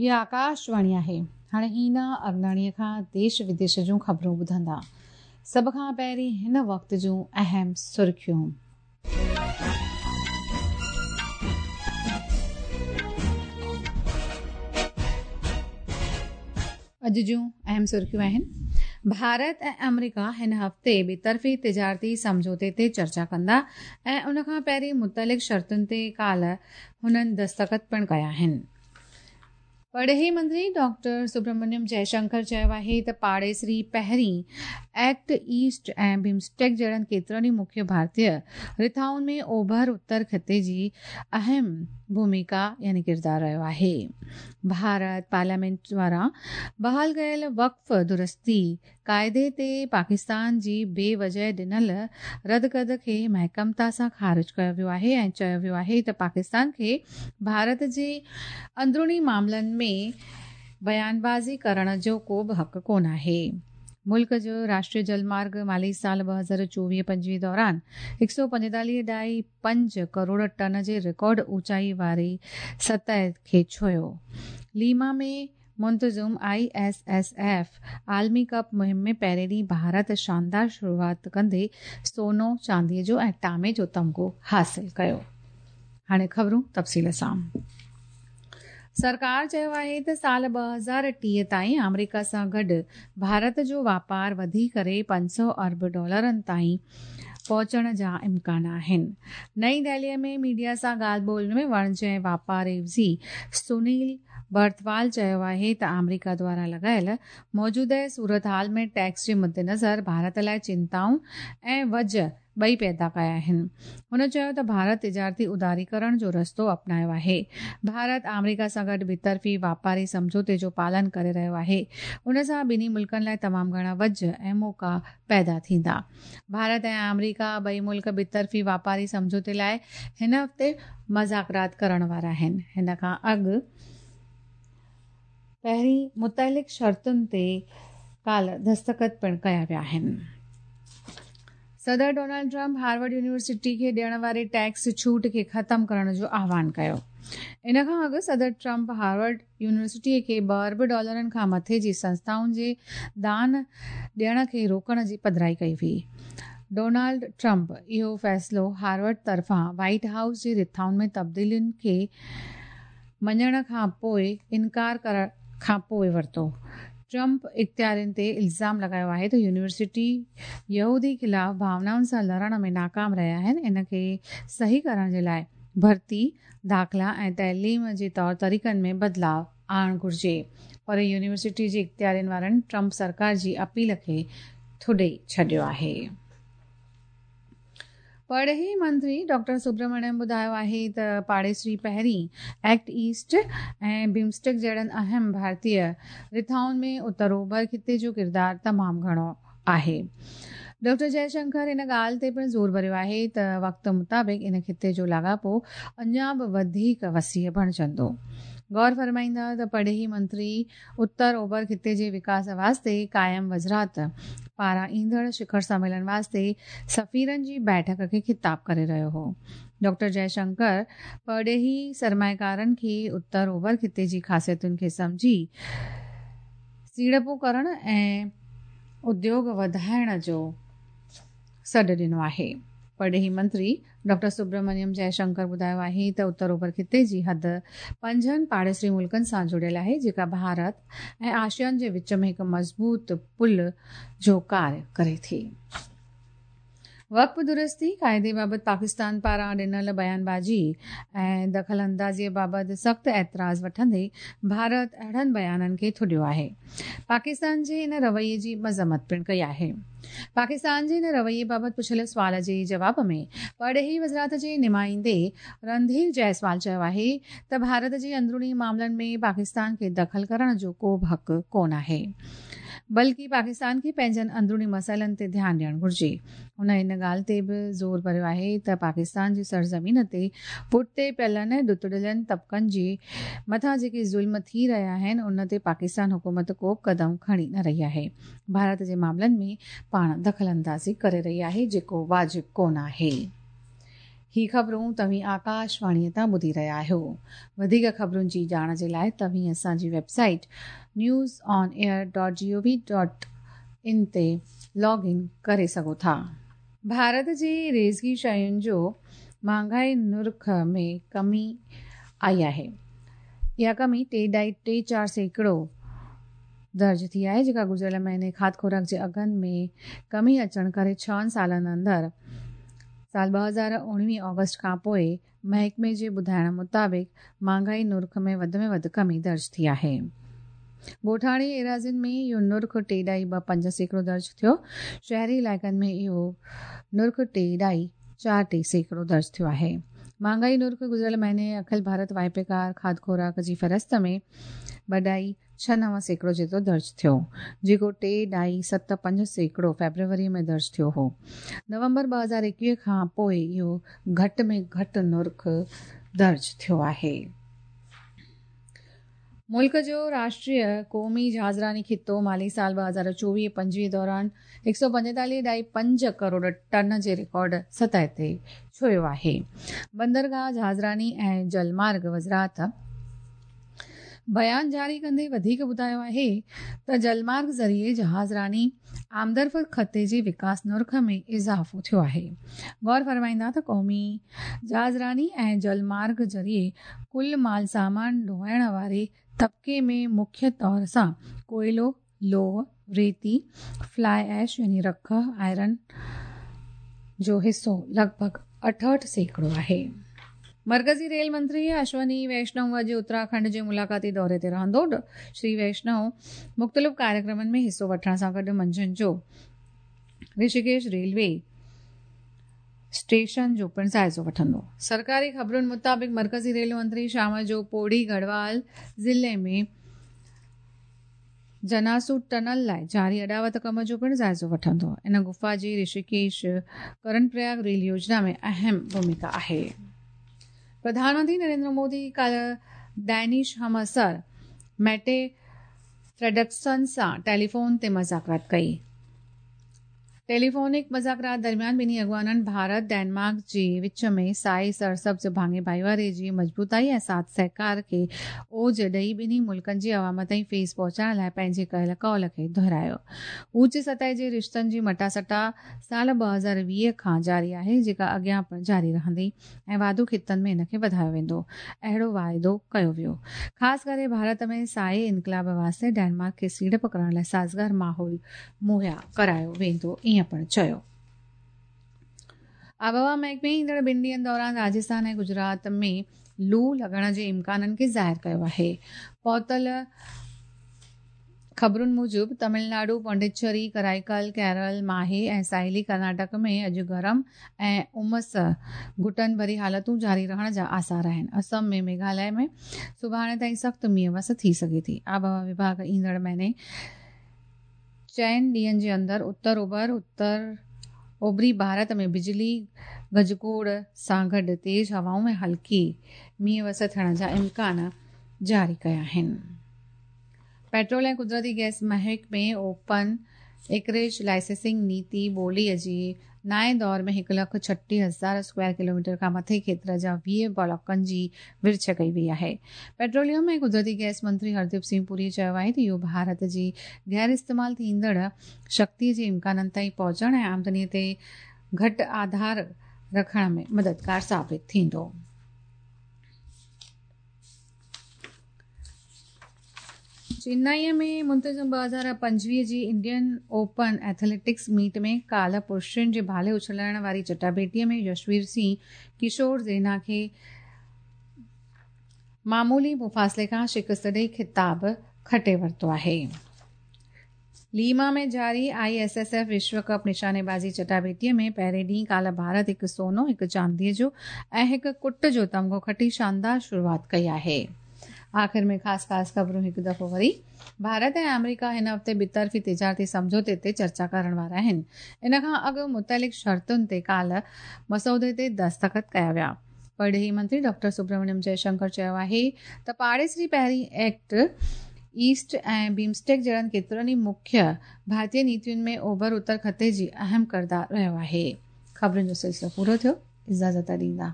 هي آڪاشواڻي آهي. هاڻي هينا اگناڻيء کان ديش وديش جون خبرون ٻڌندا. سڀ کان پهرين هن وقت جون اهم سرخيون. اڄ جون اهم سرخيون آهن. ڀارت ۽ آمريڪا هن هفتي ٻطرفي تجارتي سمجهوتي تي چرچا ڪندا ۽ ان کان پهرين متعلق شرطن تي ڪالهه هنن دستخط پڻ ڪيا آهن. پرڏيهي منتري ڊاڪٽر سبرامنيم جئشنڪر چيو آهي ته پاڙيسري پهرين ايڪٽ ايسٽ ۽ بمسٽيڪ جهڙن ڪيترن ئي مکيه ڀارتي رٿائن ۾ اوڀر اتر خطي جي اهم ڀوميڪا يعني ڪردار رهيو آهي. ڀارت پارليامينٽ دواران بحال ڪيل وقف درستي قاعدي تي پاڪستان جي بي وجهه ڏنل ردڪد کي محڪمتا سان خارج ڪيو ويو آهي ۽ چيو ويو آهي ته پاڪستان کي ڀارت جي اندروني معاملن ۾ بيان بازي ڪرڻ جو ڪو به حق ڪونه آهي. ملڪ جو راشٽريه جل مارگ مالي سال 2024 25 دوران هڪ سؤ پنجيتاليهه ڏهائي پنج ڪروڙ ٽن جي رڪارڊ اوچائي واري سطح کي ڇهيو. ليما ۾ منتظم I S S F عالمي ڪپ مهم ۾ پهرين ڏينهن ڀارت شاندار شروعات ڪندي سونو، چاندي جو ۽ ٽامي جو تمغو حاصل ڪيو. هاڻي خبرون تفصيل سان. سرڪار چيو آهي ته سال 2030 تائين آمريڪا سان گڏ ڀارت جو واپار وڌي ڪري 500 ارب ڊالرن تائين پهچڻ جا امڪان آهن. نئين دهلي ۾ ميڊيا سان ڳالهه ٻولهه ۾ وڻج ۽ واپار عيوضي سنيل برٿوال چيو آهي ته آمريڪا دواران لڳايل موجوده صورتحال ۾ ٽيڪس جي مدنظر ڀارت لاء چنتائون ۽ وجهه ٻئي پيدا ڪيا آهن. هن چيو ته ڀارت تجارتي اداريڪرڻ جو رستو اپنايو آهي. ڀارت آمريڪا سان گڏ ٻطرفي واپاري سمجهوتي جو پالن ڪري رهيو آهي. ان سان ٻنهي ملڪن لاء تمام گهڻا وجهه ۽ موقعا پيدا ٿيندا. ڀارت ۽ آمريڪا ٻئي ملڪ ٻطرفي واپاري سمجهوتي لاء هن هفتي مذاڪرات ڪرڻ وارا آهن. هن کان اڳ پهرين متعلق شرطن تي ڪالهه دستخط پڻ ڪيا ويا آهن. صدر ڊونلڊ ٽرمپ هارورڊ يونيورسٽي کي ڏيڻ واري ٽيڪس ڇوٽ کي ختم ڪرڻ جو آهوان ڪيو. ان کان اڳ صدر ٽرمپ هارورڊ يونيورسٽي کي ٻه ارب ڊالرن کان مٿي جي سنسٿائن جي دان ڏيڻ کي روڪڻ جي پڌرائي ڪئي هئي. ڊونلڊ ٽرمپ اهو فيصلو هارورڊ طرفان وائيٽ هائوس جي رٿائن ۾ تبديلين کي مڃڻ کان پوء انڪار ڪرڻ کان پوء ورتو. ٽرمپ اختيارين تي الزام لڳايو آهي ته يونيورسٽي يهودي خلاف ڀاونائن سان لڙڻ ۾ ناڪام رهيا آهن، ان کي صحيح ڪرڻ جي لاء ڀرتي، داخلا ۽ تعليم جي طور طريقن ۾ بدلاء آڻڻ گهرجي پر يونيورسٽي جي اختيارين وارن ٽرمپ سرڪار جي اپيل کي ٿڏي ڇڏيو آهي. پرڏيهي منتري ڊاڪٽر سبرامڻيم ٻڌايو آهي ته پاڙيسري پهرين ايڪٽ ايسٽ ۽ بمسٽيڪ جهڙن اهم ڀارتي رٿائن ۾ اتر اوڀر خطي جو ڪردار تمام گهڻو آهي. ڊاڪٽر جئه شنڪر ان ڳالهه تي پڻ زور ڀريو آهي ته وقت مطابق ان خطي جو لاڳاپو اڃا به وڌيڪ وسيع بڻجندو. غور فرمائيندا ته پرڏيهي منتري اتر اوڀر خطي جي وڪاس واسطي قائم وزارت پاران ايندڙ شکر سميلن واسطي سفيرن جي بيٺڪ کي خطاب ڪري رهيو هو. ڊاڪٽر جئه شنڪر پرڏيهي سرمائيڪارن کي اتر اوڀر خطي جي خاصيتن کي سمجهي سيڙپون ڪرڻ ۽ اديوگ وڌائڻ جو سڏ ڏنو آهي. پرڏيهي منتري ڊاڪٽر سبرامنيم جئه شنڪر ٻڌايو آهي ته اتر اوڀر خطي جي حد پنجن پاڙيسري ملڪن سان جڙيل آهي جيڪا ڀارت ۽ آسيان جي وچ ۾ هڪ مضبوط پل جو ڪاري ڪري ٿي. وقف درستي قاعدي بابت پاڪستان پاران ڏنل بيان بازي ۽ دخل اندازي بابت سخت اعتراض وٺندي ڀارت اهڙن بيانن کي ٿڏيو آهي. پاڪستان جي ان رويي جي مذمت پڻ ڪئي آهي. پاڪستان جي ان رويي بابت پڇيل سوال جي جواب ۾ پرڏيهي وزارت جي نمائندي رنڌير جئسوال چيو آهي ته ڀارت جي اندروني معاملن ۾ پاڪستان کي دخل ڪرڻ جو ڪو به حق ڪونه آهي بلڪه پاڪستان کي پنهنجن اندروني مسئلن تي ڌيان ڏيڻ گهرجي. هن ان ڳالهه تي به زور ڀريو آهي ته پاڪستان جي سرزمين تي پٺتي پيلن ۽ ڏتڙيلن طبقن جي مٿان جيڪي ظلم ٿي رهيا آهن ان تي پاڪستان حڪومت ڪو به قدم کڻي نه رهي آهي. ڀارت جي معاملن ۾ پاڻ دخل اندازي ڪري رهي آهي جيڪو واجب ڪونه آهي. هي خبرون توهين آڪاشواڻيء تان ٻڌي رهيا آهيو. وڌيڪ خبرن جي ڄاڻ جي لاء توهين اسان جي website news on air dot G O V dot in تي لاگ ان ڪري سگهو ٿا. ڀارت جي ريزڪي شين جو مهانگائي نرخ ۾ ڪمي آئي آهي. اها ڪمي ٽي ڏائي ٽي چار سيڪڙو درج ٿي آهي جيڪا گذريل مهيني کاڌ خوراڪ جي اگهن ۾ ڪمي اچڻ ڪري ڇهن سالن اندر سال 2019 آگسٽ کان پوء محڪمي جي ٻڌائڻ مطابق مهانگائي نرخ ۾ وڌ ۾ وڌ ڪمي درج ٿي آهي. ڳوٺاڻي ايراضين ۾ اهو نرخ ٽي ڏائي ٻه پنج سيڪڙو درج ٿيو. شهري علائقن ۾ اهو نرخ ٽي ڏائي چار ٽي سيڪڙو درج ٿيو آهي. مهانگائي نرخ گذريل مهيني اکل ڀارت واهپيڪار کاڌ خوراڪ جي فهرست ۾ ٻه ڏائي 69% جيترو درج ٿيو، جيڪو ٽي ڏائي ست پنج سيڪڙو فيبروري ۾ درج ٿيو هو. نومبر 2021 کان پوء اهو گهٽ ۾ گهٽ نرخ درج ٿيو آهي. ملڪ جو راشٽريه قومي جهازراني خطو مالي سال 2024 25 دوران هڪ سؤ پنجيتاليهه ڏائي پنج ڪروڙ ٽن جي رڪارڊ سطح تي ڇهيو آهي. بندرگاهه، جهازراني ۽ جلمارگ وزارت بيان جاري ڪندي وڌيڪ ٻڌايو آهي ته جلمارگ ذريعي جهازراني آمدرفت خطي جي وڪاس نرخ ۾ اضافو ٿيو آهي. غور فرمائيندا ته قومي جهازراني ۽ جلمارگ ذريعي ڪل مال سامان ڍوئڻ واري طبقي ۾ مکيه طور سان ڪوئلو، لوهه، ريتي، فلائي ايش يعني رک، آئرن جو حصو لڳ ڀڳ 68% آهي. مرڪزي ريل منتري اشوني ويشنو اڄ اتراکنڊ جي ملاقاتي دوري تي رهندو. شري ويشنو مختلف ڪاريڪرمن ۾ حصو وٺڻ سان گڏ منجهند جو رشيڪيش ريلوي اسٽيشن جو پڻ جائزو وٺندو. سرڪاري خبرن مطابق مرڪزي ريل منتري شام جو پوڙي گڙهوال ضلعي ۾ جناسو ٽنل لاء جاري اڏاوت ڪم جو پڻ جائزو وٺندو. ان غفا جي رشيڪيش ڪرن پرياگ ريل يوجنا ۾ اهم ڀوميڪا آهي. پرڌان منتري نريندر مودي ڪالهه ڊينش همعصر ميٽي فريڊرڪسن سان ٽيليفون تي مذاڪرات ڪئي. ٽيليفونڪ مذاڪرات درميان ٻنهي اڳواڻن ڀارت ڊينمارڪ جي وچ ۾ سائي سرسبز ڀاڱي ڀائيواري جي مضبوطائي ۽ ساٿ سهڪار کي اوج ڏئي ٻنهي ملڪن جي عوام تائين فيض پهچائڻ لاء پنهنجي ڪيل قول کي دهرايو. اوچ سطح جي رشتن جي مٽاسٽا سال 2020 کان جاري آهي جيڪا اڳيان پڻ جاري رهندي. ۽ واڌو خطن ۾ ان کي وڌايو ويندو، اهڙو واعدو ڪيو ويو. خاص ڪري ڀارت ۾ سائي انقلاب واسطي ڊينمارڪ کي سيڙپ ڪرڻ لاء سازگار ماحول مهيا ڪرايو ويندو، ائين پڻ چيو. آبهوا محڪمي ايندڙ ٻن ڏينهن دوران راجسٿان ۽ گجرات ۾ لو لڳڻ جي امڪانن کي ظاهر ڪيو آهي. پهتل خبرن موجب تمل ناڊو، پانڊيچري، ڪرائيڪل، ڪيرل، ماهي ۽ ساحلي ڪرناٽڪ ۾ اڄ گرم ۽ امس گهٽن ڀري حالتون جاري رهڻ جا آثار آهن. اسم ۽ ميگهاليه ۾ سڀاڻي تائين سخت مينهن وس ٿي سگهي ٿي. آبهوا وڀاڳ ايندڙ مهيني چئن ڏينهن جي اندر اتر اوڀر، اتر اوڀري ڀارت ۾ بجلي گجگوڙ سان گڏ تيز هوائون ۽ هلڪي مينهن وس ٿيڻ جا امڪان جاري ڪيا آهن. پيٽرول ۽ قدرتي گئس محڪمي اوپن ايڪريج لائسنسنگ نيتي ٻولي جي نائين دور ۾ هڪ لک 36 هزار اسڪوائر ڪلوميٽر کان مٿي کيتر جا 20 بلاڪن جي ورڇ ڪئي وئي آهي. پيٽروليم ۽ قدرتي گئس منتري هرديپ سنگهه پوري چيو آهي ته اهو ڀارت جي غير استعمال ٿيندڙ شڪتي جي امڪانن تائين پهچڻ ۽ آمدني تي گهٽ آڌار رکڻ ۾ مددگار ثابت ٿيندو. چنائي ۾ منتظم 2025 جي انڊين اوپن ايٿليٽڪس ميٽ ۾ ڪالهه پرشن جي ڀالي اڇلائڻ واري چٽاڀيٽي ۾ يشوير سنگهه ڪشور زينا کي معمولي مفاصلي کان شڪست ڏئي خطاب کٽي ورتو آهي. ليما ۾ جاري I S S F وشو ڪپ نشاني بازي چٽاڀيٽي ۾ پهرين ڏينهن ڪالهه ڀارت هڪ سونو، هڪ چانديء جو ۽ هڪ ڪٽ جو تمغو کٽي شاندار شروعات ڪئي آهي. آخر ۾ خاص خاص خبرون هڪ دفعو وري. ڀارت ۽ آمريڪا هن هفتي ٻطرفي تجارتي سمجهوتي تي چرچا ڪرڻ وارا آهن. ان کان اڳ متعلق شرطن تي ڪالهه مسودي تي دستخط ڪيا ويا. پرڏيهي منتري ڊاڪٽر سبرامنيم جئه شنڪر چيو آهي ته پاڙيسري پهرين ايڪٽ ايسٽ ۽ بيمسٽيڪ جهڙن ڪيترن ئي مکيه ڀارتي نيتين ۾ اوڀر اتر خطي جي اهم ڪردار رهيو آهي. خبرن جو سلسلو پورو ٿيو. اجازت ڏيندا.